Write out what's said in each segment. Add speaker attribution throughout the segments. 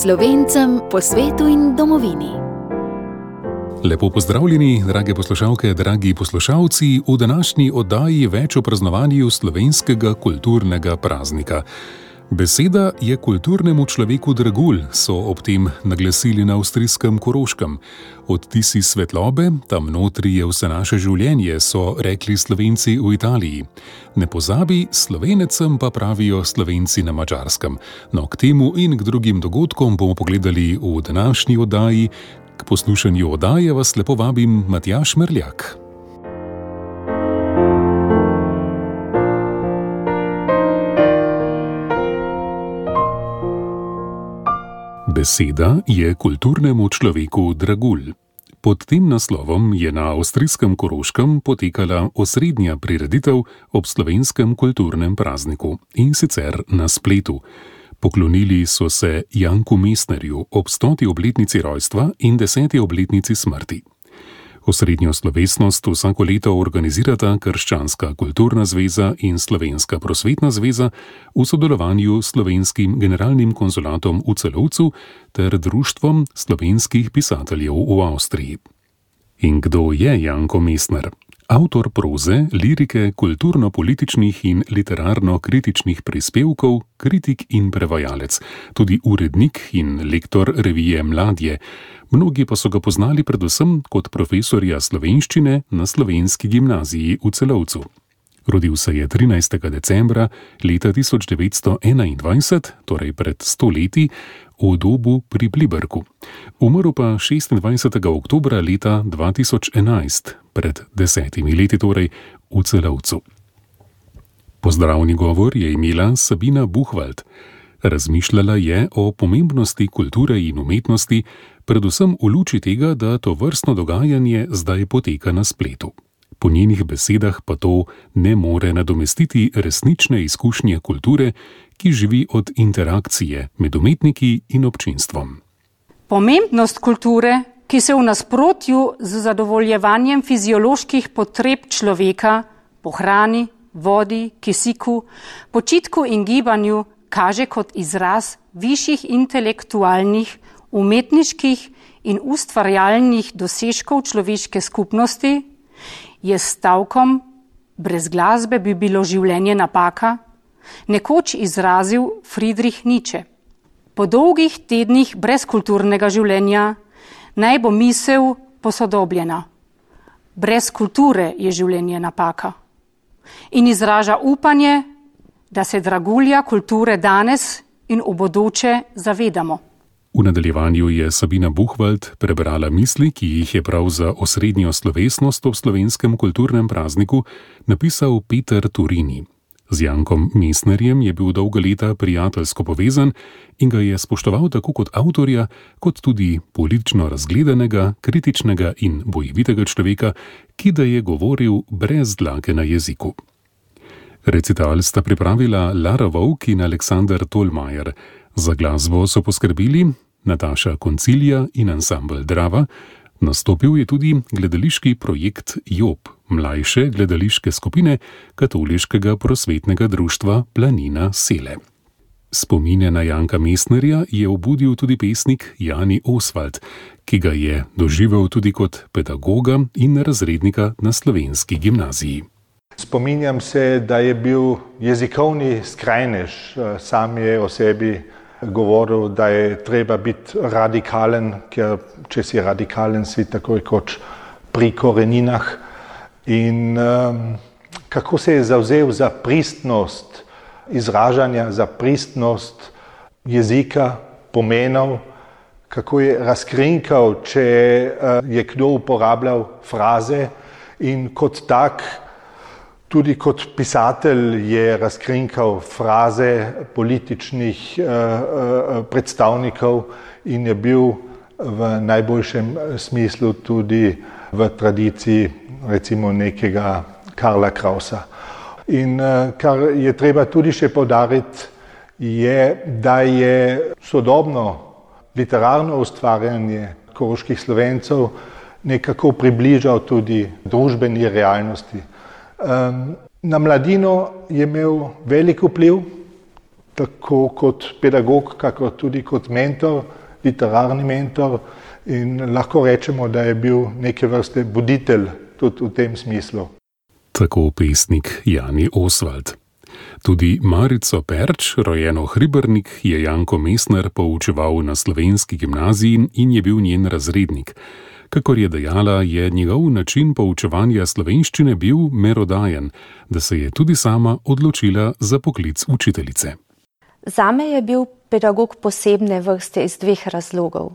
Speaker 1: Slovencem po svetu in domovini.
Speaker 2: Lepo pozdravljeni, drage poslušalke, dragi poslušalci, v današnji oddaji več o praznovanju slovenskega kulturnega praznika. Beseda je kulturnemu človeku dragulj, so ob tem naglasili na avstrijskem Koroškem. Odtisi svetlobe, tam notri je vse naše življenje, so rekli Slovenci v Italiji. Ne pozabi, Slovenecem pa pravijo Slovenci na Madžarskem. No, k temu in k drugim dogodkom bomo pogledali v današnji oddaji. K poslušanju oddaje vas lepo vabim Matjaž Merljak. Beseda je kulturnemu človeku dragulj. Pod tem naslovom je na avstrijskem Koroškem potekala osrednja prireditev ob slovenskem kulturnem prazniku, in sicer na spletu. Poklonili so se Janku Mestnerju ob 100. obletnici rojstva in 10. obletnici smrti. Osrednjo slovesnost vsako leto organizirata Krščanska kulturna zveza in Slovenska prosvetna zveza v sodelovanju s Slovenskim generalnim konzulatom v Celovcu ter Društvom slovenskih pisateljev v Avstriji. In kdo je Janko Mestner? Avtor proze, lirike, kulturno-političnih in literarno-kritičnih prispevkov, kritik in prevajalec, tudi urednik in lektor revije Mladje. Mnogi pa so ga poznali predvsem kot profesorja slovenščine na Slovenski gimnaziji v Celovcu. Rodil se je 13. decembra leta 1921, torej pred 100 leti, v Dobu pri Pliberku. Umrl pa 26. oktobra leta 2011, pred 10 leti torej, v Celovcu. Pozdravni govor je imela Sabina Buchwald. Razmišljala je o pomembnosti kulture in umetnosti, predvsem v luči tega, da to vrstno dogajanje zdaj poteka na spletu. Po njenih besedah pa to ne more nadomestiti resnične izkušnje kulture, ki živi od interakcije med umetniki in občinstvom.
Speaker 3: Pomembnost kulture, ki se v nasprotju z zadovoljevanjem fizioloških potreb človeka po hrani, vodi, kisiku, počitku in gibanju kaže kot izraz višjih intelektualnih, umetniških in ustvarjalnih dosežkov človeške skupnosti, je s stavkom "brez glasbe bi bilo življenje napaka" nekoč izrazil Friedrich Nietzsche. Po dolgih tednih brez kulturnega življenja naj bo misel posodobljena. Brez kulture je življenje napaka. In izraža upanje, da se dragulja kulture danes in v bodoče zavedamo.
Speaker 2: V nadaljevanju je Sabina Buchwald prebrala misli, ki jih je prav za osrednjo slovesnost ob slovenskem kulturnem prazniku napisal Peter Turini. Z Jankom Mestnerjem je bil dolga leta prijateljsko povezan in ga je spoštoval tako kot avtorja, kot tudi politično razgledanega, kritičnega in bojevitega človeka, ki da je govoril brez dlake na jeziku. Recital sta pripravila Lara Vovk in Aleksander Tolmajer. Za glasbo so poskrbeli Nataša Koncilija in ansambel Drava. Nastopil je tudi gledališki projekt Job, mlajše gledališke skupine Katoliškega prosvetnega društva Planina Sele. Spomine na Janka Mestnerja je obudil tudi pesnik Jani Oswald, ki ga je doživel tudi kot pedagoga in razrednika na Slovenski gimnaziji.
Speaker 4: Spominjam se, da je bil jezikovni skrajnež, sam je o sebi govoril, da je treba biti radikalen, ker če si radikalen, si takoj kot pri koreninah. In kako se je zavzel za pristnost izražanja, za pristnost jezika, pomenov, kako je razkrinkal, če je kdo uporabljal fraze in kot tak, tudi kot pisatelj je razkrinkal fraze političnih predstavnikov in je bil v najboljšem smislu tudi v tradiciji recimo nekega Karla Krausa. In kar je treba tudi še poudariti, je, da je sodobno literarno ustvarjanje koroških Slovencev nekako približal tudi družbeni realnosti. Na mladino je imel velik vpliv, tako kot pedagog, kako tudi kot mentor, literarni mentor, in lahko rečemo, da je bil neke vrste buditelj tudi v tem smislu.
Speaker 2: Tako pesnik Jani Osvald. Tudi Marico Perč, rojeno Hribernik, je Janko Mesner poučeval na slovenski gimnaziji in je bil njen razrednik. Kakor je dejala, je njegov način poučevanja slovenščine bil merodajen, da se je tudi sama odločila za poklic učiteljice.
Speaker 5: Zame je bil pedagog posebne vrste iz dveh razlogov.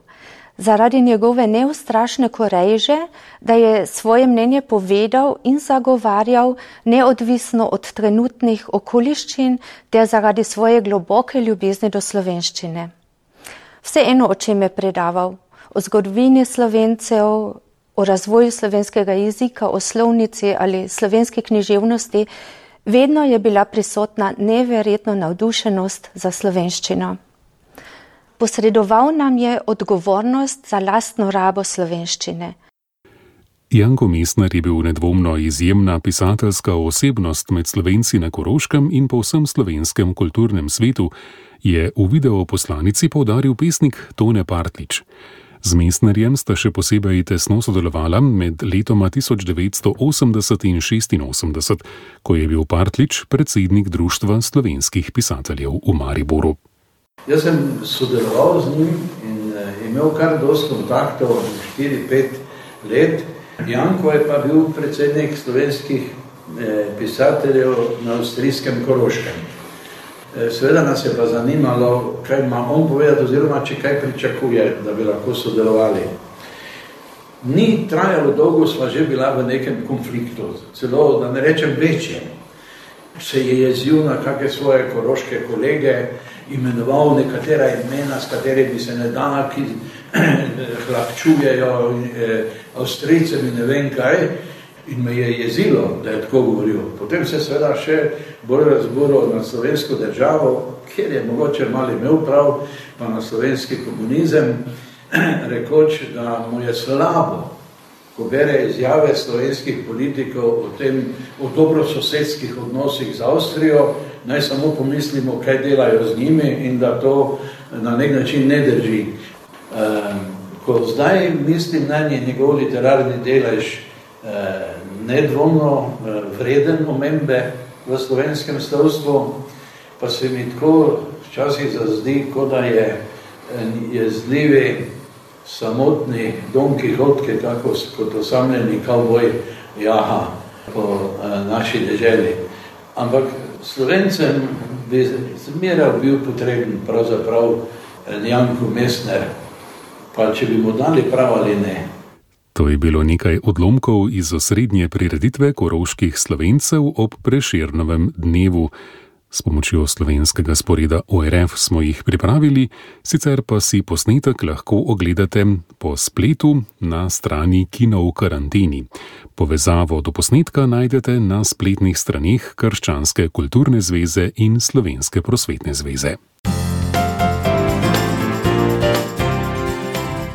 Speaker 5: Zaradi njegove neustrašne koreže, da je svoje mnenje povedal in zagovarjal neodvisno od trenutnih okoliščin, ter zaradi svoje globoke ljubezni do slovenščine. Vseeno, o čem je predaval, o zgodovini Slovencev, o razvoju slovenskega jezika, o slovnici ali slovenski književnosti, vedno je bila prisotna neverjetna navdušenost za slovenščino. Posredoval nam je odgovornost za lastno rabo slovenščine.
Speaker 2: Janko Mesner je bil nedvomno izjemna pisateljska osebnost med Slovenci na Koroškem in po vsem slovenskem kulturnem svetu, je v videoposlanici poudaril pesnik Tone Partlič. Z Mesnerjem sta še posebej tesno sodelovala med letoma 1980 in 1986, ko je bil Partlič predsednik Društva slovenskih pisateljev v Mariboru.
Speaker 6: Jaz sem sodeloval z njim in imel kar dosti kontaktov, 4-5 let. Janko je pa bil predsednik slovenskih pisateljev na avstrijskem Koroškem. Seveda nas je pa zanimalo, kaj ima on povedati, oziroma če kaj pričakuje, da bi lahko sodelovali. Ni trajalo dolgo, sva že bila v nekem konfliktu, celo, da ne rečem večjem. Se je jezil na kakšne svoje koroške kolege, imenoval nekatera imena, s katerimi se ne da, ki hlapčujejo Avstrijcem in ne vem kaj, in me je jezilo, da je tako govoril. Potem se seveda še bolj razburil na slovensko državo, kjer je mogoče malo imel prav, pa na slovenski komunizem, rekoč, da mu je slabo, ko bere izjave slovenskih politikov o dobrososedskih odnosih z Avstrijo, naj samo pomislimo, kaj delajo z njimi in da to na nek način ne drži. Ko zdaj mislim na njegov literarni delež nedvomno vreden omembe v slovenskem slovstvu, pa se mi tako včasih zazdi, kot da je jezljivi samotni Don Kihotke, tako kot osamljeni kavboj jaha po naši deželi. Ampak Slovencem bi zmeraj bil potreben pravzaprav Janko Mesner, pa če bi mu dali prav ali ne.
Speaker 2: To je bilo nekaj odlomkov iz osrednje prireditve koroških Slovencev ob Prešernovem dnevu. S pomočjo slovenskega sporeda ORF smo jih pripravili, sicer pa si posnetek lahko ogledate po spletu na strani Kino v karanteni. Povezavo do posnetka najdete na spletnih straneh Krščanske kulturne zveze in Slovenske prosvetne zveze.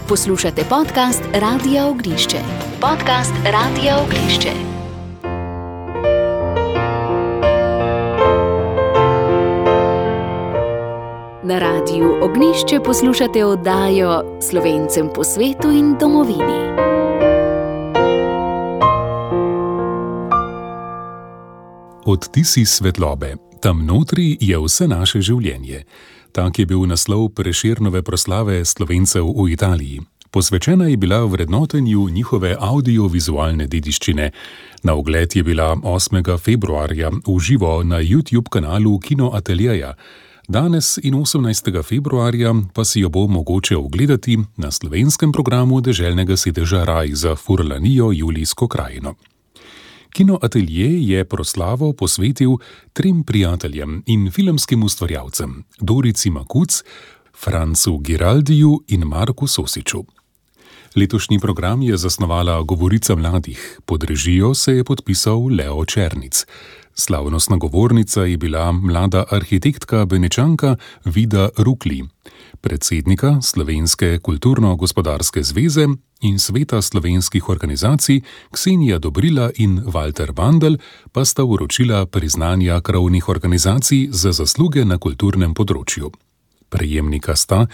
Speaker 1: Poslušate podcast Radia Ognjišče. Podcast Radia Ognjišče. Na Radiu Ognjišče poslušate oddajo Slovencem po svetu in domovini.
Speaker 2: Odtisi svetlobe. Tam notri je vse naše življenje. Tak je bil naslov Prešernove proslave Slovencev v Italiji. Posvečena je bila vrednotenju njihove audiovizualne dediščine. Na ogled je bila 8. februarja v živo na YouTube kanalu Kino Ateljeja. Danes in 18. februarja pa si jo bo mogoče ogledati na slovenskem programu deželnega sedeža Raj za Furlanijo Julijsko krajino. Kino Atelje je proslavo posvetil 3 prijateljem in filmskim ustvarjalcem, Dorici Makuc, Francu Giraldiju in Marku Sosiču. Letošnji program je zasnovala Govorica mladih, pod režijo se je podpisal Leo Černic. Slavnostna govornica je bila mlada arhitektka Benečanka Vida Rukli. predsednika Slovenske kulturno-gospodarske zveze in Sveta slovenskih organizacij Ksenija Dobrila in Walter Bandl pa sta vročila priznanja krovnih organizacij za zasluge na kulturnem področju. Prejemnika sta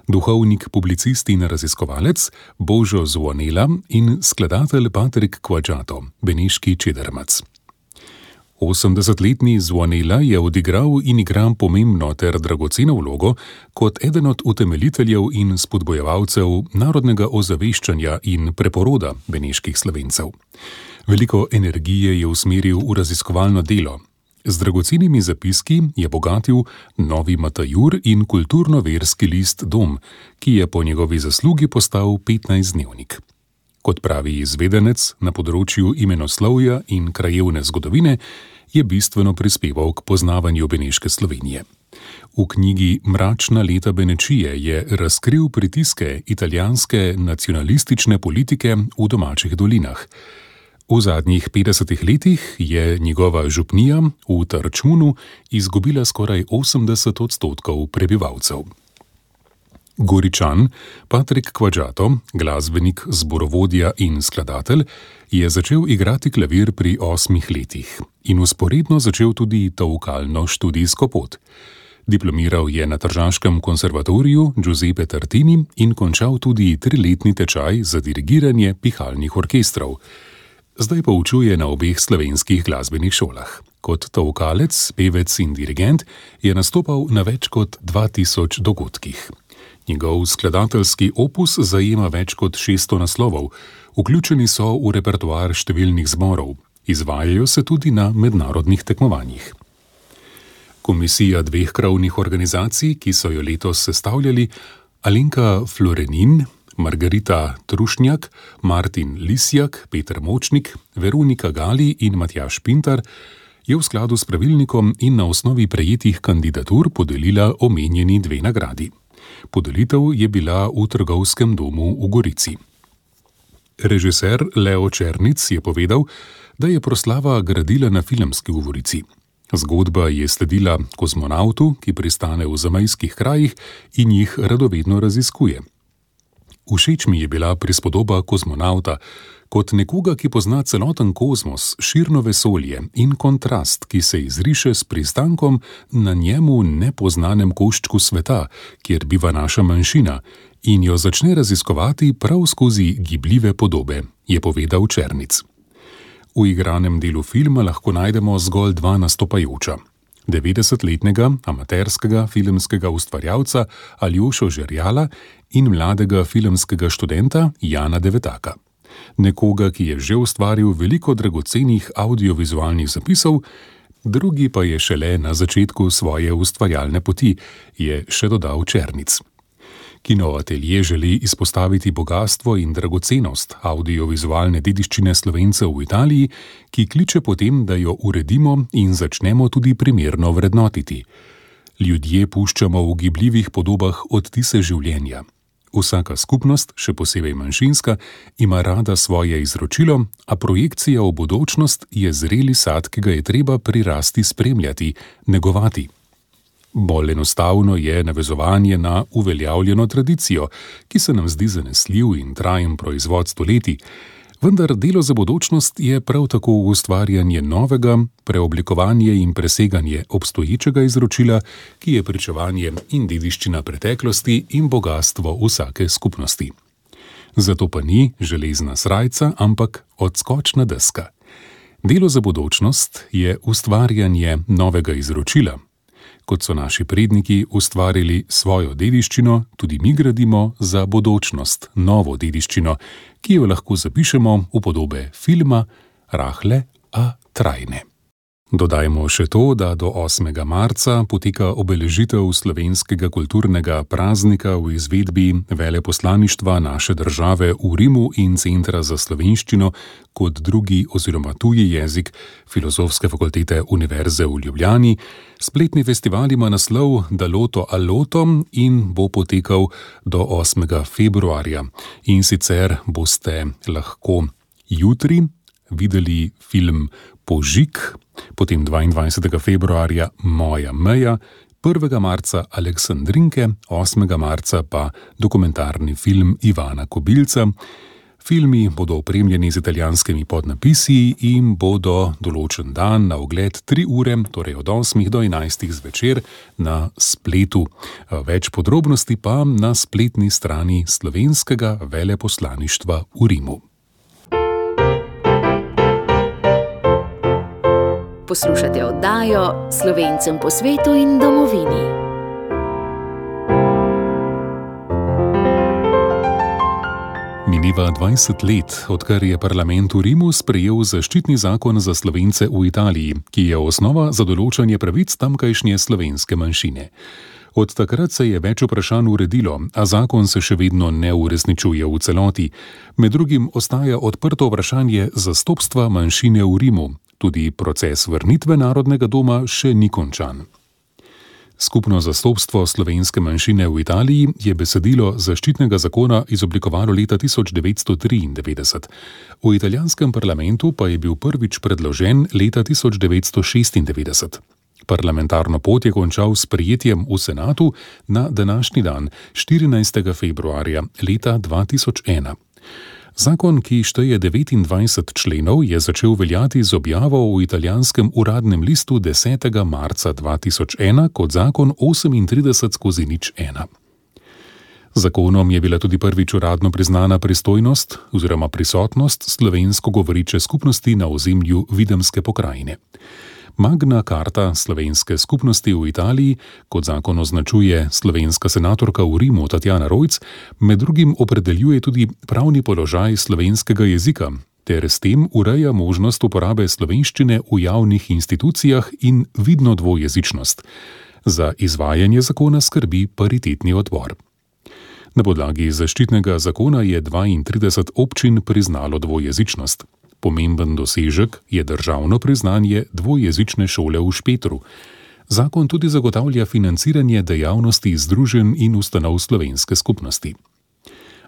Speaker 2: duhovnik, publicist in raziskovalec Božo Zvonela in skladatelj Patrik Kvadžato, beneški čedermac. 80-letni Zvonela je odigral in igra pomembno ter dragoceno vlogo kot eden od utemeljiteljev in spodbojevalcev narodnega ozaveščanja in preporoda beneških Slovencev. Veliko energije je usmeril v raziskovalno delo. Z dragocenimi zapiski je bogatil Novi Matajur in kulturno-verski list Dom, ki je po njegovi zaslugi postal 15-dnevnik. Kot pravi izvedenec na področju imenoslovja in krajevne zgodovine, je bistveno prispeval k poznavanju beneške Slovenije. V knjigi Mračna leta Benečije je razkril pritiske italijanske nacionalistične politike v domačih dolinah. V zadnjih 50 letih je njegova župnija v Tarčunu izgubila skoraj 80% prebivalcev. Goričan Patrik Kvadžato, glasbenik, zborovodja in skladatelj, je začel igrati klavir pri 8 letih in vzporedno začel tudi tolkalno študijsko pot. Diplomiral je na Tržaškem konservatoriju Giuseppe Tartini in končal tudi 3-letni tečaj za dirigiranje pihalnih orkestrov. Zdaj poučuje na obeh slovenskih glasbenih šolah. Kot tolkalec, pevec in dirigent je nastopal na več kot 2000 dogodkih. Njegov skladateljski opus zajema več kot 600 naslovov, vključeni so v repertoar številnih zborov, izvajajo se tudi na mednarodnih tekmovanjih. Komisija 2 krovnih organizacij, ki so jo letos sestavljali, Alenka Florenin, Margarita Trušnjak, Martin Lisjak, Peter Močnik, Veronika Gali in Matjaž Pintar, je v skladu s pravilnikom in na osnovi prejetih kandidatur podelila omenjeni 2 nagradi. Podelitev je bila v Trgovskem domu v Gorici. Režiser Leo Černic je povedal, da je proslava gradila na filmski govorici. Zgodba je sledila kozmonavtu, ki pristane v zamejskih krajih in jih radovedno raziskuje. Všeč mi je bila prispodoba kozmonavta kot nekoga, ki pozna celoten kozmos, širno vesolje in kontrast, ki se izriše s pristankom na njemu nepoznanem koščku sveta, kjer biva naša manjšina, in jo začne raziskovati prav skozi gibljive podobe, je povedal Černic. V igranem delu filma lahko najdemo zgolj 2 nastopajoča. 90-letnega amaterskega filmskega ustvarjalca Aljošo Žerjala in mladega filmskega študenta Jana Devetaka. Nekoga, ki je že ustvaril veliko dragocenih audiovizualnih zapisov, drugi pa je šele na začetku svoje ustvarjalne poti, je še dodal Černic. Kinoatelje želi izpostaviti bogastvo in dragocenost audiovizualne dediščine Slovencev v Italiji, ki kliče potem, da jo uredimo in začnemo tudi primerno vrednotiti. Ljudje puščamo v gibljivih podobah odtise življenja. Vsaka skupnost, še posebej manjšinska, ima rada svoje izročilo, a projekcija v bodočnost je zreli sad, ki ga je treba prirasti spremljati, negovati. Bolj enostavno je navezovanje na uveljavljeno tradicijo, ki se nam zdi zanesljiv in trajen proizvod stoletij, vendar delo za bodočnost je prav tako ustvarjanje novega, preoblikovanje in preseganje obstoječega izročila, ki je pričevanje in dediščina preteklosti in bogastvo vsake skupnosti. Zato pa ni železna srajca, ampak odskočna deska. Delo za bodočnost je ustvarjanje novega izročila. Kot so naši predniki ustvarili svojo dediščino, tudi mi gradimo za bodočnost novo dediščino, ki jo lahko zapišemo v podobe filma, rahle, a trajne. Dodajmo še to, da do 8. marca poteka obeležitev slovenskega kulturnega praznika v izvedbi veleposlaništva naše države v Rimu in Centra za slovenščino kot drugi oziroma tuji jezik Filozofske fakultete Univerze v Ljubljani. Spletni festival ima naslov Daloto Aloto in bo potekal do 8. februarja. In sicer boste lahko jutri videli film Požig, potem 22. februarja Moja meja, 1. marca Aleksandrinke, 8. marca pa dokumentarni film Ivana Kobilca. Filmi bodo opremljeni z italijanskimi podnapisi in bodo določen dan na ogled 3 ure, torej od 8 do 11 zvečer na spletu. Več podrobnosti pa na spletni strani slovenskega veleposlaništva v Rimu.
Speaker 1: Poslušate oddajo Slovencem po svetu in domovini.
Speaker 2: Mineva 20 let, odkar je parlament v Rimu sprejel zaščitni zakon za Slovence v Italiji, ki je osnova za določanje pravic tamkajšnje slovenske manjšine. Od takrat se je več vprašanj uredilo, a zakon se še vedno ne uresničuje v celoti. Med drugim ostaja odprto vprašanje zastopstva manjšine v Rimu. Tudi proces vrnitve Narodnega doma še ni končan. Skupno zastopstvo slovenske manjšine v Italiji je besedilo zaščitnega zakona izoblikovalo leta 1993. V italijanskem parlamentu pa je bil prvič predložen leta 1996. Parlamentarno pot je končal s sprejetjem v senatu na današnji dan, 14. februarja leta 2001. Zakon, ki šteje 29 členov, je začel veljati z objavo v italijanskem uradnem listu 10. marca 2001 kot zakon 38/01. Zakonom je bila tudi prvič uradno priznana pristojnost oziroma prisotnost slovensko govoriče skupnosti na ozemlju Videmske pokrajine. Magna Carta slovenske skupnosti v Italiji, kot zakon označuje slovenska senatorka v Rimu Tatjana Rojc, med drugim opredeljuje tudi pravni položaj slovenskega jezika, ter s tem ureja možnost uporabe slovenščine v javnih institucijah in vidno dvojezičnost. Za izvajanje zakona skrbi paritetni odbor. Na podlagi zaščitnega zakona je 32 občin priznalo dvojezičnost. Pomemben dosežek je državno priznanje dvojezične šole v Špetru. Zakon tudi zagotavlja financiranje dejavnosti združenj in ustanov slovenske skupnosti.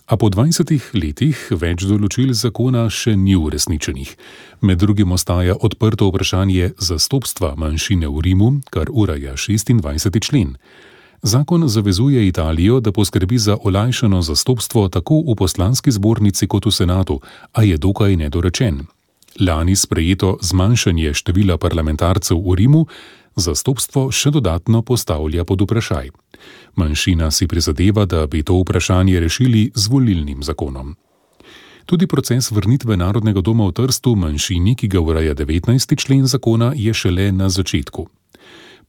Speaker 2: A po 20 letih več določil zakona še ni uresničenih. Med drugim ostaja odprto vprašanje zastopstva manjšine v Rimu, kar ureja 26. člen. Zakon zavezuje Italijo, da poskrbi za olajšano zastopstvo tako v poslanski zbornici kot v senatu, a je dokaj nedorečen. Lani sprejeto zmanjšanje števila parlamentarcev v Rimu zastopstvo še dodatno postavlja pod vprašaj. Manjšina si prizadeva, da bi to vprašanje rešili z volilnim zakonom. Tudi proces vrnitve Narodnega doma v Trstu manjšini, ki ga ureja 19. člen zakona, je šele na začetku.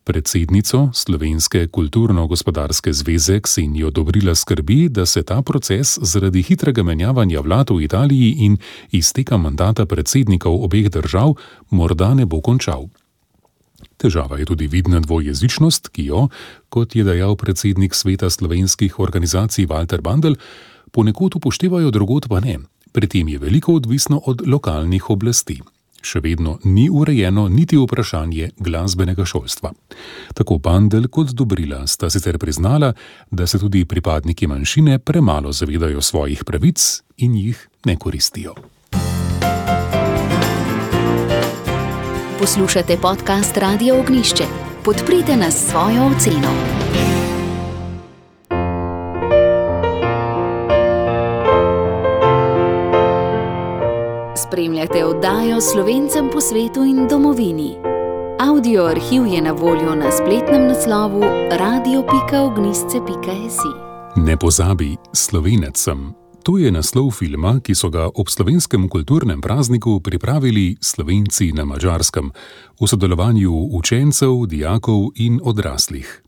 Speaker 2: Predsednico Slovenske kulturno-gospodarske zveze Ksenijo Dobrila skrbi, da se ta proces zaradi hitrega menjavanja vlad v Italiji in izteka mandata predsednikov obeh držav morda ne bo končal. Težava je tudi vidna dvojezičnost, ki jo, kot je dejal predsednik Sveta slovenskih organizacij Valter Bandelj, ponekod upoštevajo, drugod pa ne. Pri tem je veliko odvisno od lokalnih oblasti. Še vedno ni urejeno niti vprašanje glasbenega šolstva. Tako Bandelj kot Dobrila sta sicer priznala, da se tudi pripadniki manjšine premalo zavedajo svojih pravic in jih ne koristijo.
Speaker 1: Poslušate podcast Radia Ognjišče. Podprite nas s svojo oceno. Spremljate oddajo Slovencem po svetu in domovini. Audio arhiv je na voljo na spletnem naslovu radio.ognjišče.si.
Speaker 2: Ne pozabi, Slovenec sem. To je naslov filma, ki so ga ob slovenskem kulturnem prazniku pripravili Slovenci na Madžarskem v sodelovanju učencev, dijakov in odraslih.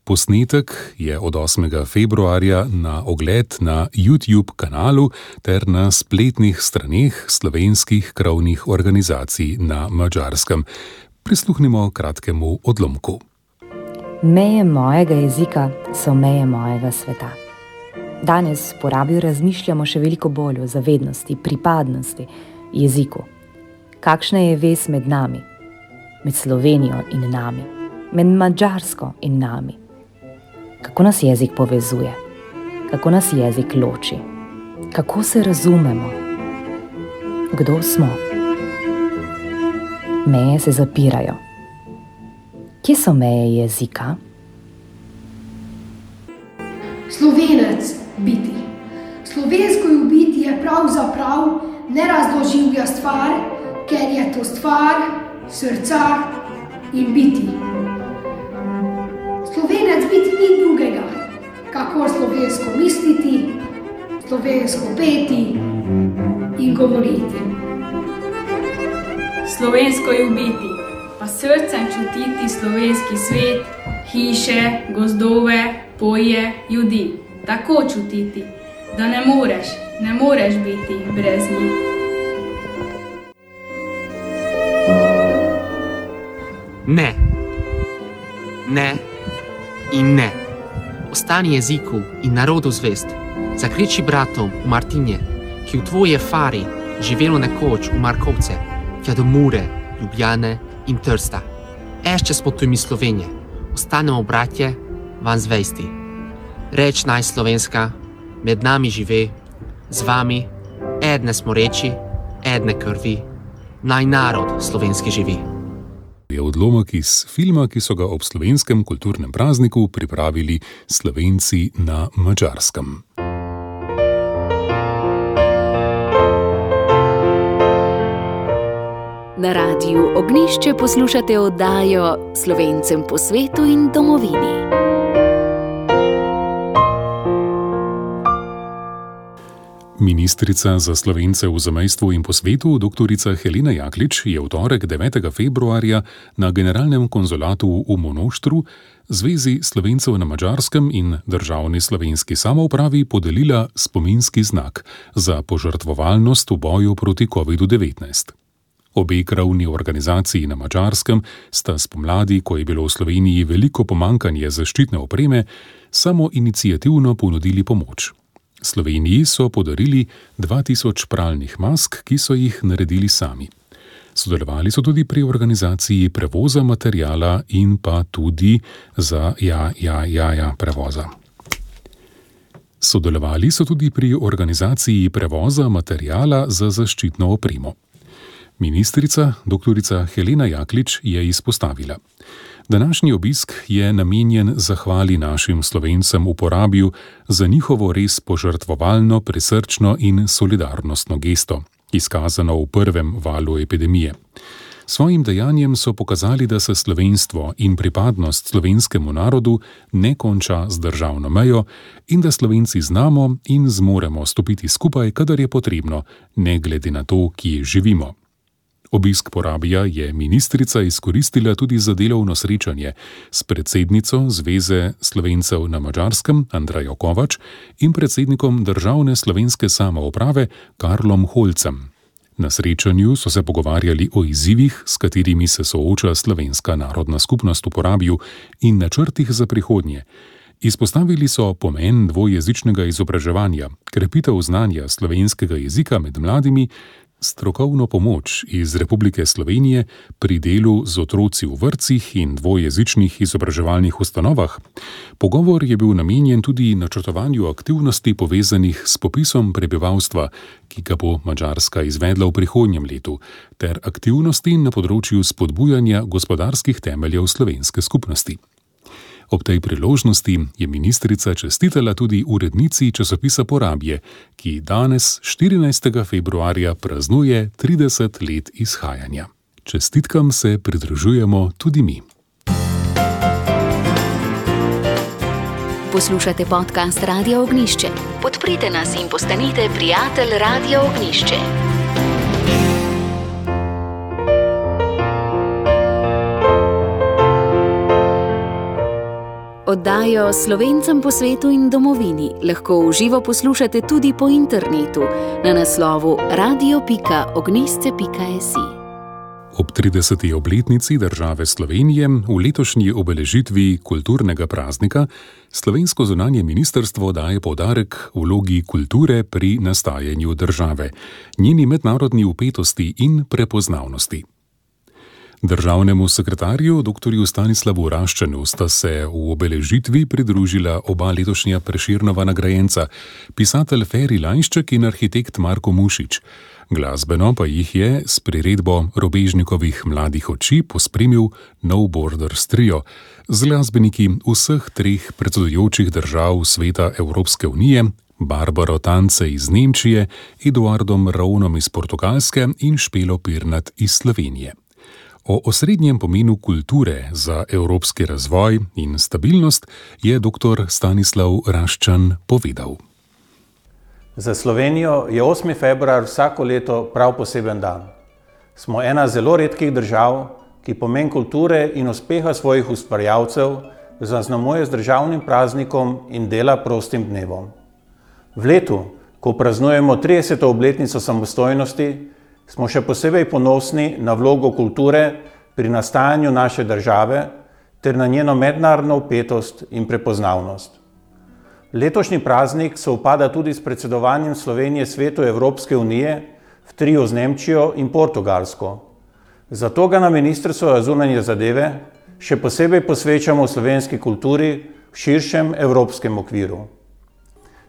Speaker 2: Posnetek je od 8. februarja na ogled na YouTube kanalu ter na spletnih straneh slovenskih krovnih organizacij na Madžarskem. Prisluhnimo kratkemu odlomku.
Speaker 7: Meje mojega jezika so meje mojega sveta. Danes po Rabiju razmišljamo še veliko bolj o zavednosti, pripadnosti, jeziku. Kakšna je vez med nami, med Slovenijo in nami, med Madžarsko in nami? Kako nas jezik povezuje? Kako nas jezik loči? Kako se razumemo? Kdo smo? Meje se zapirajo. Kje so meje jezika?
Speaker 8: Slovenec biti. Slovensko biti je pravzaprav nerazložljiva stvar, ker je to stvar srca in biti. Slovenec biti ni drugega, kako slovensko misliti, slovensko peti in govoriti.
Speaker 9: Slovensko ljubiti, pa srcem čutiti slovenski svet, hiše, gozdove, polje, ljudi. Tako čutiti, da ne moreš biti brez njih.
Speaker 10: Ne. Ne in ne. Ostani jeziku in narodu zvest. Zakriči bratom v Martinje, ki v tvoje fari živelo nekoč v Markovce, tja do Mure, Ljubljane in Trsta. Ešče smo tu mi Slovenije, ostanemo bratje, van zvesti. Reč naj slovenska, med nami žive, z vami, edne smo reči, edne krvi, naj narod slovenski živi.
Speaker 2: Je odlomek iz filma, ki so ga ob slovenskem kulturnem prazniku pripravili Slovenci na Madžarskem.
Speaker 1: Na Radiu Ognjišče poslušate oddajo Slovencem po svetu in domovini.
Speaker 2: Ministrica za Slovence v zamejstvu in po svetu, dr. Helena Jaklič, je v torek 9. februarja na generalnem konzulatu v Monoštru Zvezi Slovencev na Madžarskem in Državni slovenski samoupravi podelila spominski znak za požrtvovalnost v boju proti COVID-19. Obe krovni organizaciji na Madžarskem sta spomladi, ko je bilo v Sloveniji veliko pomanjkanje zaščitne opreme, samoiniciativno ponudili pomoč. Sloveniji so podarili 2000 pralnih mask, ki so jih naredili sami. Sodelovali so tudi pri organizaciji prevoza materijala in pa tudi za prevoza. Sodelovali so tudi pri organizaciji prevoza materijala za zaščitno opremo. Ministrica, dr. Helena Jaklič, je izpostavila: današnji obisk je namenjen zahvali našim Slovencem v Porabju za njihovo res požrtvovalno, prisrčno in solidarnostno gesto, izkazano v prvem valu epidemije. Svojim dejanjem so pokazali, da se slovenstvo in pripadnost slovenskemu narodu ne konča z državno mejo in da Slovenci znamo in zmoremo stopiti skupaj, kadar je potrebno, ne glede na to, kje živimo. Obisk Porabja je ministrica izkoristila tudi za delovno srečanje s predsednico Zveze Slovencev na Madžarskem Andrejo Kovač in predsednikom Državne slovenske samouprave Karlom Holcem. Na srečanju so se pogovarjali o izzivih, s katerimi se sooča slovenska narodna skupnost v Porabju, in načrtih za prihodnje. Izpostavili so pomen dvojezičnega izobraževanja, krepitev znanja slovenskega jezika med mladimi, strokovno pomoč iz Republike Slovenije pri delu z otroci v vrtcih in dvojezičnih izobraževalnih ustanovah. Pogovor je bil namenjen tudi načrtovanju aktivnosti povezanih s popisom prebivalstva, ki ga bo Madžarska izvedla v prihodnjem letu, ter aktivnosti na področju spodbujanja gospodarskih temeljev slovenske skupnosti. Ob tej priložnosti je ministrica čestitala tudi urednici časopisa Porabje, ki danes, 14. februarja, praznuje 30 let izhajanja. Čestitkam se pridružujemo tudi mi.
Speaker 1: Poslušate podcast Radia Ognjišče. Podprite nas in postanite prijatelj Radia Ognjišče. Oddajo Slovencem po svetu in domovini lahko v živo poslušate tudi po internetu na naslovu radio.ognjišče.si.
Speaker 2: Ob 30. obletnici države Slovenije v letošnji obeležitvi kulturnega praznika slovensko zunanje ministrstvo daje poudarek vlogi kulture pri nastajanju države, njeni mednarodni vpetosti in prepoznavnosti. Državnemu sekretarju dr. Stanislavu Raščanu sta se v obeležitvi pridružila oba letošnja Prešernova nagrajenca, pisatelj Feri Lajnšček in arhitekt Marko Mušič. Glasbeno pa jih je s priredbo Robežnikovih mladih oči pospremil No Borders Trio z glasbeniki vseh treh predsedujočih držav Sveta Evropske unije, Barbaro Tance iz Nemčije, Eduardom Ravnom iz Portugalske in Špelo Pirnat iz Slovenije. O osrednjem pomenu kulture za evropski razvoj in stabilnost je dr. Stanislav Raščan povedal.
Speaker 11: Za Slovenijo je 8. februar vsako leto prav poseben dan. Smo ena zelo redkih držav, ki pomen kulture in uspeha svojih ustvarjalcev zaznamuje z državnim praznikom in dela prostim dnevom. V letu, ko praznujemo 30. obletnico samostojnosti, smo še posebej ponosni na vlogo kulture pri nastajanju naše države ter na njeno mednarodno vpetost in prepoznavnost. Letošnji praznik sovpada tudi s predsedovanjem Slovenije Svetu Evropske unije v triu z Nemčijo in Portugalsko. Zato ga na Ministrstvu za zunanje zadeve še posebej posvečamo slovenski kulturi v širšem evropskem okviru.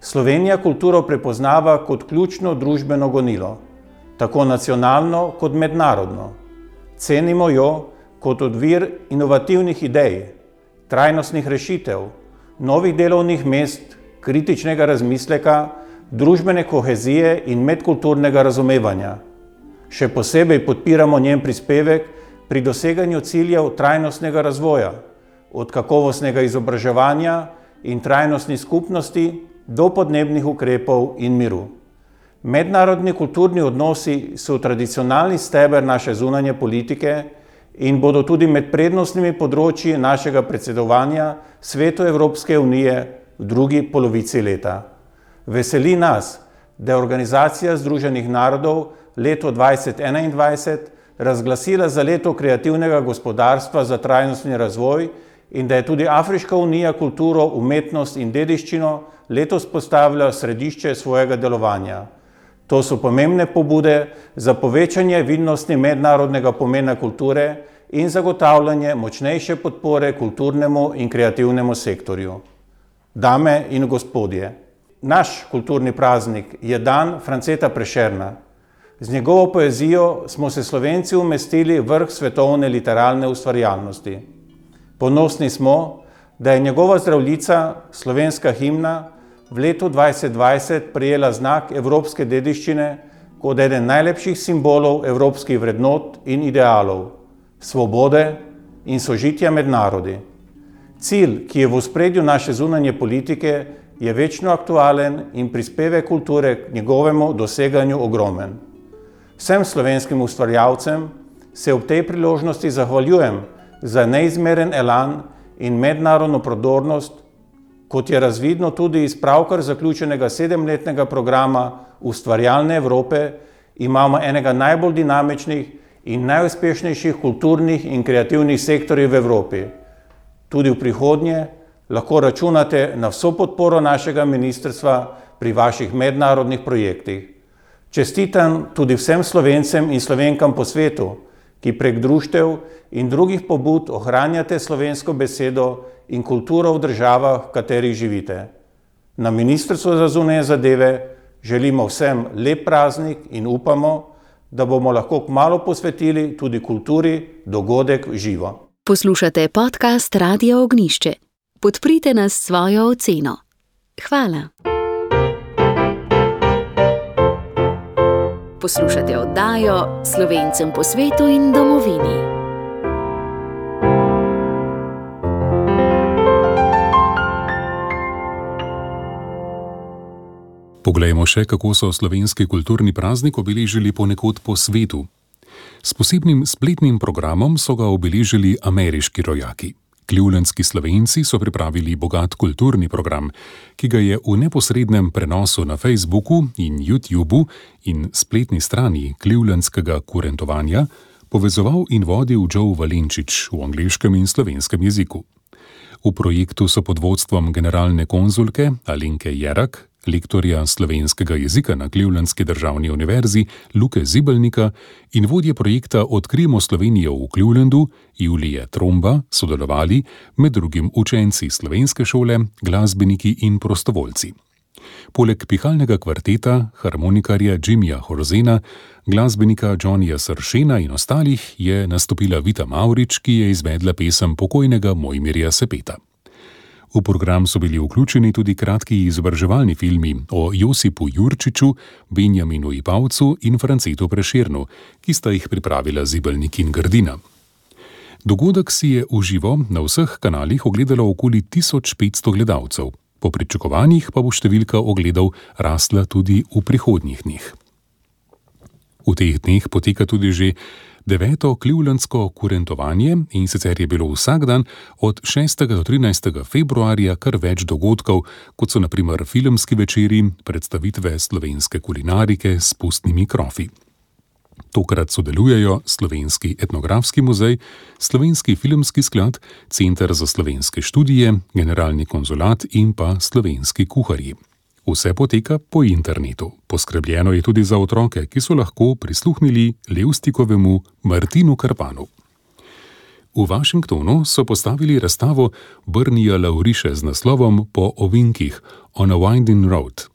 Speaker 11: Slovenija kulturo prepoznava kot ključno družbeno gonilo, tako nacionalno kot mednarodno. Cenimo jo kot odvir inovativnih idej, trajnostnih rešitev, novih delovnih mest, kritičnega razmisleka, družbene kohezije in medkulturnega razumevanja. Še posebej podpiramo njen prispevek pri doseganju ciljev trajnostnega razvoja, od kakovostnega izobraževanja in trajnostnih skupnosti do podnebnih ukrepov in miru. Mednarodni kulturni odnosi so tradicionalni steber naše zunanje politike in bodo tudi med prednostnimi področji našega predsedovanja Svetu Evropske unije v drugi polovici leta. Veseli nas, da je Organizacija Združenih narodov leto 2021 razglasila za leto kreativnega gospodarstva za trajnostni razvoj in da je tudi Afriška unija kulturo, umetnost in dediščino letos postavila v središče svojega delovanja. To so pomembne pobude za povečanje vidnosti mednarodnega pomena kulture in zagotavljanje močnejše podpore kulturnemu in kreativnemu sektorju. Dame in gospodje, naš kulturni praznik je dan Franceta Prešerna. Z njegovo poezijo smo se Slovenci umestili v vrh svetovne literarne ustvarjalnosti. Ponosni smo, da je njegova Zdravljica, slovenska himna, v letu 2020 prejela znak evropske dediščine kot eden najlepših simbolov evropskih vrednot in idealov, svobode in sožitja med narodi. Cilj, ki je v ospredju naše zunanje politike, je večno aktualen in prispevek kulture k njegovemu doseganju ogromen. Vsem slovenskim ustvarjalcem se ob tej priložnosti zahvaljujem za neizmeren elan in mednarodno prodornost, kot je razvidno tudi iz pravkar zaključenega 7-letnega programa Ustvarjalne Evrope, imamo enega najbolj dinamičnih in najuspešnejših kulturnih in kreativnih sektorjev v Evropi. Tudi v prihodnje lahko računate na vso podporo našega ministrstva pri vaših mednarodnih projektih. Čestitam tudi vsem Slovencem in Slovenkam po svetu, ki prek društev in drugih pobud ohranjate slovensko besedo in kulturo v državah, v katerih živite. Na Ministrstvu za zunanje zadeve želimo vsem lep praznik in upamo, da bomo lahko kmalu posvetili tudi kulturi dogodek v živo.
Speaker 1: Poslušate podcast Radia Ognišče. Podprite nas s svojo oceno. Hvala. Poslušate oddajo Slovencem po svetu in domovini.
Speaker 2: Poglejmo še, kako so slovenski kulturni praznik obeležili ponekod po svetu. S posebnim spletnim programom so ga obeležili ameriški rojaki. Clevelandski Slovenci so pripravili bogat kulturni program, ki ga je v neposrednem prenosu na Facebooku in YouTubu in spletni strani clevelandskega kurentovanja povezoval in vodil Joe Valenčič v angleškem in slovenskem jeziku. V projektu so pod vodstvom generalne konzulke Alenke Jerak, lektorja slovenskega jezika na Clevelandski državni univerzi Luke Zibelnika in vodje projekta Odkrijmo Slovenijo v Clevelandu Julije Tromba sodelovali med drugim učenci slovenske šole, glasbeniki in prostovoljci. Poleg pihalnega kvarteta, harmonikarja Jimmyja Horzena, glasbenika Johnnyja Sršena in ostalih je nastopila Vita Mavrič, ki je izvedla pesem pokojnega Mojmirja Sepeta. V program so bili vključeni tudi kratki izobraževalni filmi o Josipu Jurčiču, Benjaminu Ipavcu in Francetu Prešernu, ki sta jih pripravila Zibelnik in Grdina. Dogodek si je v živo na vseh kanalih ogledalo okoli 1500 gledalcev. Po pričakovanjih pa bo številka ogledov rasla tudi v prihodnjih dneh. V teh dneh poteka tudi že 9. Clevelandsko kurentovanje in sicer je bilo vsak dan od 6. do 13. februarja kar več dogodkov, kot so na primer filmski večeri, predstavitve slovenske kulinarike s pustnimi krofi. Tokrat sodelujejo Slovenski etnografski muzej, Slovenski filmski sklad, Center za slovenske študije, Generalni konzulat in pa Slovenski kuharji. Vse poteka po internetu. Poskrbljeno je tudi za otroke, ki so lahko prisluhnili Levstikovemu Martinu Karpanu. V Washingtonu so postavili razstavo Brnija Lauriše z naslovom Po ovinkih, On a Winding Road.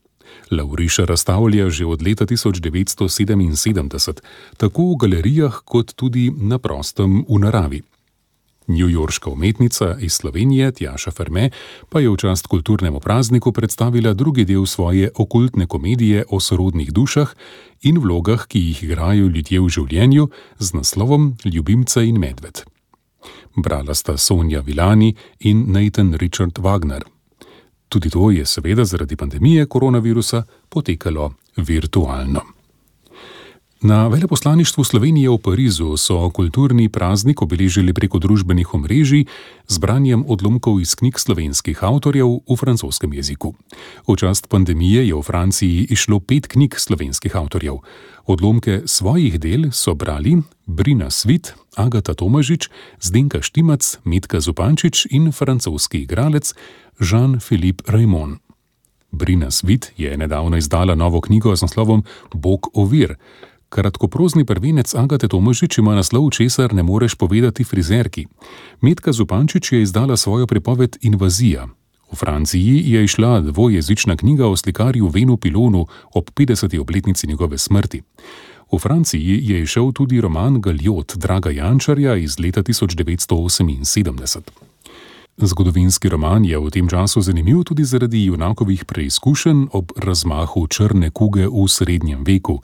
Speaker 2: Lauriša razstavlja že od leta 1977, tako v galerijah kot tudi na prostem v naravi. Newyorška umetnica iz Slovenije Tjaša Ferme pa je v čast kulturnemu prazniku predstavila drugi del svoje okultne komedije o sorodnih dušah in vlogah, ki jih igrajo ljudje v življenju, z naslovom Ljubimca in medved. Brala sta Sonja Vilani in Nathan Richard Wagner. Tudi to je seveda zaradi pandemije koronavirusa potekalo virtualno. Na veleposlaništvu Slovenije v Parizu so kulturni praznik obeležili preko družbenih omrežij z branjem odlomkov iz knjig slovenskih avtorjev v francoskem jeziku. V čast pandemije je v Franciji izšlo 5 knjig slovenskih avtorjev. Odlomke svojih del so brali Brina Svit, Agata Tomažič, Zdenka Štimac, Metka Zupančič in francoski igralec Jean-Philippe Raymond. Brina Svit je nedavno izdala novo knjigo z naslovom Bog ovir. Kratkoprozni prvenec Agate Tomažič ima naslov Česar ne moreš povedati frizerki. Metka Zupančič je izdala svojo pripoved Invazija. V Franciji je izšla dvojezična knjiga o slikarju Venu Pilonu ob 50. obletnici njegove smrti. V Franciji je izšel tudi roman Galjot Draga Jančarja iz leta 1978. Zgodovinski roman je v tem času zanimiv tudi zaradi junakovih preizkušenj ob razmahu črne kuge v srednjem veku.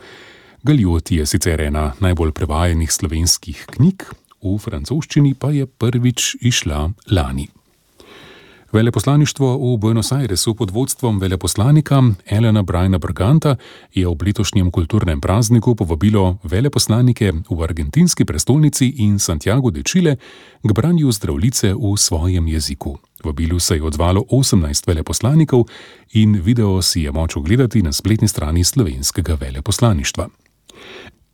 Speaker 2: Galjot je sicer ena najbolj prevajanih slovenskih knjig, v francoščini pa je prvič izšla lani. Veleposlaništvo v Buenos Airesu pod vodstvom veleposlanika Elena Briana Berganta je ob letošnjem kulturnem prazniku povabilo veleposlanike v argentinski prestolnici in Santiago de Chile k branju Zdravljice v svojem jeziku. Vabilu se je odzvalo 18 veleposlanikov in video si je moč ogledati na spletni strani slovenskega veleposlaništva.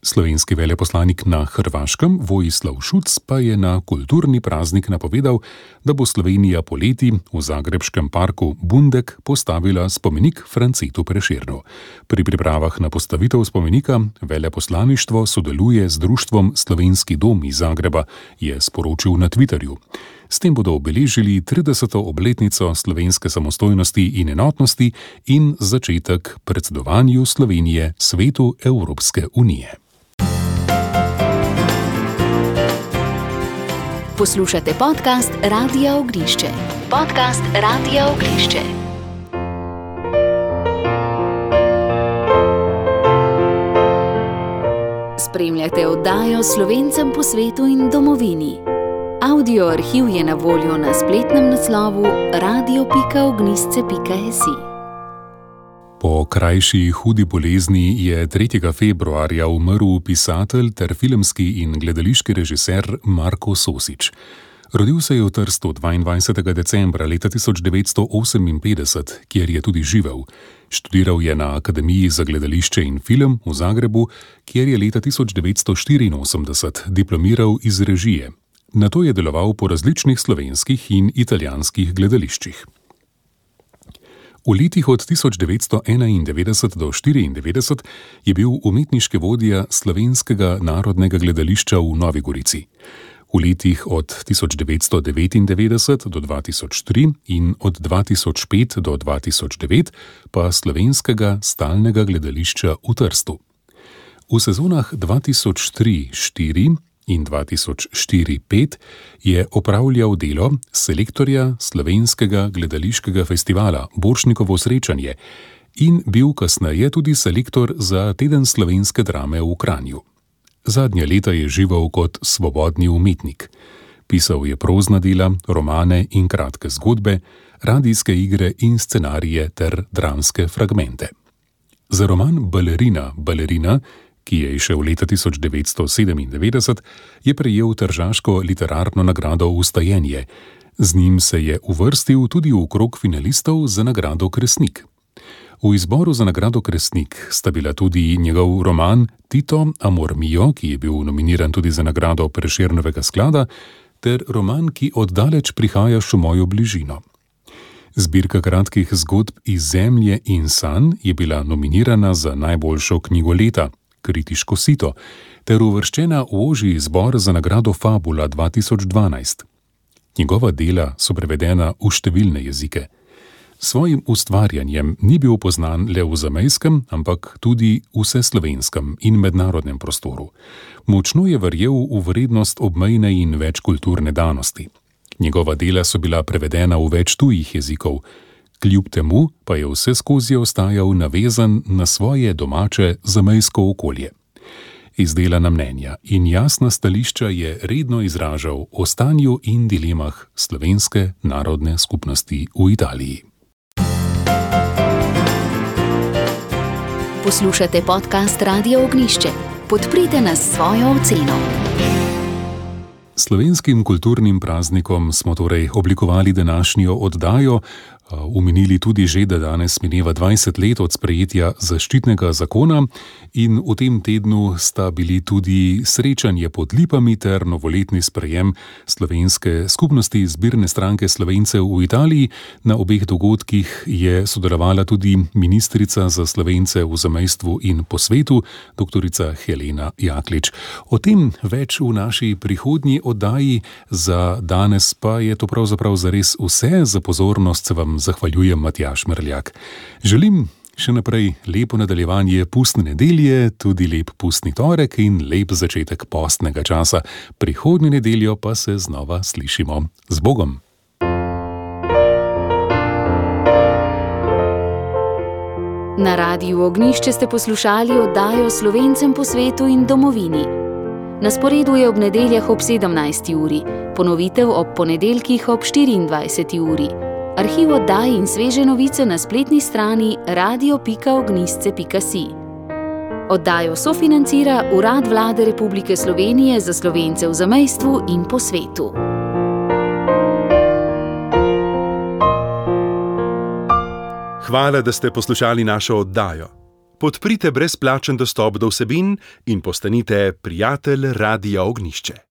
Speaker 2: Slovenski veleposlanik na Hrvaškem Vojislav Šuc pa je na kulturni praznik napovedal, da bo Slovenija poleti v zagrebškem parku Bundek postavila spomenik Francetu Prešernu. Pri pripravah na postavitev spomenika veleposlaništvo sodeluje z društvom Slovenski dom iz Zagreba, je sporočil na Twitterju. S tem bodo obeležili 30. obletnico slovenske samostojnosti in enotnosti in začetek predsedovanju Slovenije Svetu Evropske unije.
Speaker 1: Poslušate podcast Radia Ognišče. Podcast Radia Ognišče. Spremljate oddajo Slovencem po svetu in domovini. Audio arhiv je na voljo na spletnem naslovu radio.ognisce.si.
Speaker 2: Po krajši hudi bolezni je 3. februarja umrl pisatelj ter filmski in gledališki režiser Marko Sosič. Rodil se je v Trstu 22. decembra leta 1958, kjer je tudi živel. Študiral je na Akademiji za gledališče in film v Zagrebu, kjer je leta 1984 diplomiral iz režije. Nato je deloval po različnih slovenskih in italijanskih gledališčih. V letih od 1991 do 1994 je bil umetniški vodja Slovenskega narodnega gledališča v Novi Gorici. V letih od 1999 do 2003 in od 2005 do 2009 pa Slovenskega stalnega gledališča v Trstu. V sezonah 2003-4 in 2004-5 je opravljal delo selektorja Slovenskega gledališkega festivala Borštnikovo srečanje in bil kasneje tudi selektor za Teden slovenske drame v Kranju. Zadnja leta je živel kot svobodni umetnik. Pisal je prozna dela, romane in kratke zgodbe, radijske igre in scenarije ter dramske fragmente. Za roman Balerina, ki je izšel leta 1997, je prejel tržaško literarno nagrado Vstajenje. Z njim se je uvrstil tudi v krog finalistov za nagrado Kresnik. V izboru za nagrado Kresnik sta bila tudi njegov roman Tito, Amor mio, ki je bil nominiran tudi za nagrado Prešernovega sklada, ter roman, ki oddaleč prihajaš v mojo bližino. Zbirka kratkih zgodb iz zemlje in sanj je bila nominirana za najboljšo knjigo leta, Kritiško sito, ter uvrščena v ožji izbor za nagrado Fabula 2012. Njegova dela so prevedena v številne jezike. Svojim ustvarjanjem ni bil poznan le v zamejskem, ampak tudi vseslovenskem in mednarodnem prostoru. Močno je verjel v vrednost obmejne in večkulturne danosti. Njegova dela so bila prevedena v več tujih jezikov, kljub temu pa je vseskozi ostajal navezan na svoje domače zamejsko okolje. Izdelana mnenja in jasna stališča je redno izražal o stanju in dilemah slovenske narodne skupnosti v Italiji.
Speaker 1: Poslušate podcast Radia Ognjišče. Podprite nas s svojo oceno.
Speaker 2: Slovenskim kulturnim praznikom smo torej oblikovali današnjo oddajo. Omenili tudi že, da danes mineva 20 let od sprejetja zaščitnega zakona in v tem tednu sta bili tudi srečanje pod Lipami ter novoletni sprejem slovenske skupnosti zbirne stranke Slovencev v Italiji. Na obeh dogodkih je sodelovala tudi ministrica za Slovence v zamejstvu in po svetu, doktorica Helena Jaklič. O tem več v naši prihodnji oddaji, za danes pa je to pravzaprav zares vse. Za pozornost se vam zahvaljujem, Matjaž Merljak. Želim še naprej lepo nadaljevanje pustne nedelje, tudi lep pustni torek in lep začetek postnega časa. Prihodnjo nedeljo pa se znova slišimo. Z Bogom!
Speaker 1: Na Radiu Ognjišče ste poslušali oddajo Slovencem po svetu in domovini. Na sporedu je ob nedeljah ob 17. uri, ponovitev ob ponedeljkih ob 24. uri. Arhiv oddaj in sveže novice na spletni strani radio.ognjisce.si. Oddajo sofinancira Urad Vlade Republike Slovenije za Slovence v zamejstvu in po svetu.
Speaker 12: Hvala, da ste poslušali našo oddajo. Podprite brezplačen dostop do vsebin in postanite prijatelj Radia Ognjišče.